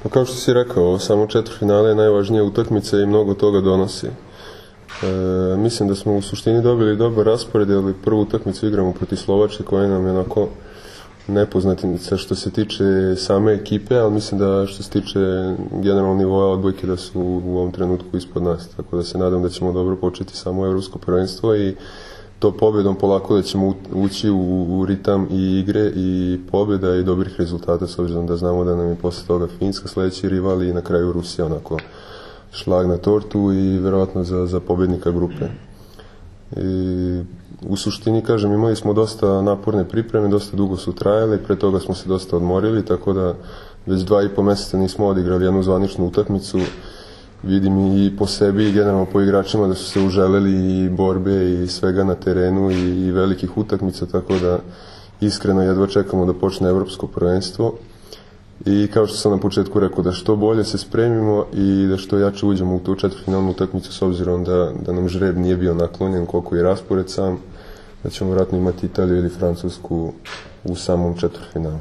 Pa kao što si rekao, samo četvrtfinale je najvažnija utakmica i mnogo toga donosi. Mislim da smo u suštini dobili dobar raspored, ali prvu utakmicu igramo protiv Slovačke koja nam je onako nepoznatica što se tiče same ekipe, ali mislim da što se tiče generalnog nivoa odbojke da su u ovom trenutku ispod nas, tako da se nadam da ćemo dobro početi samo evropsko prvenstvo i to pobjedom polako da ćemo ući u ritam i igre i pobjeda i dobrih rezultata, s obzirom da znamo da nam je posle toga Finska sledeći rival i na kraju Rusija onako šlag na tortu i verovatno za pobjednika grupe. I u suštini, kažem, imali smo dosta naporne pripreme, dosta dugo su trajale, pre toga smo se dosta odmorili, tako da već 2,5 meseca nismo odigrali jednu zvaničnu utakmicu. Vidim i po sebi i generalno po igračima da su se uželeli i borbe i svega na terenu i velikih utakmica, tako da iskreno jedva čekamo da počne evropsko prvenstvo. I kao što sam na početku rekao, da što bolje se spremimo i da što jače uđemo u tu četvrtfinalnu utakmicu, s obzirom da nam žreb nije bio naklonjen koliko i raspored sam, da ćemo vjerojatno imati Italiju ili Francusku u samom četvrtfinalu.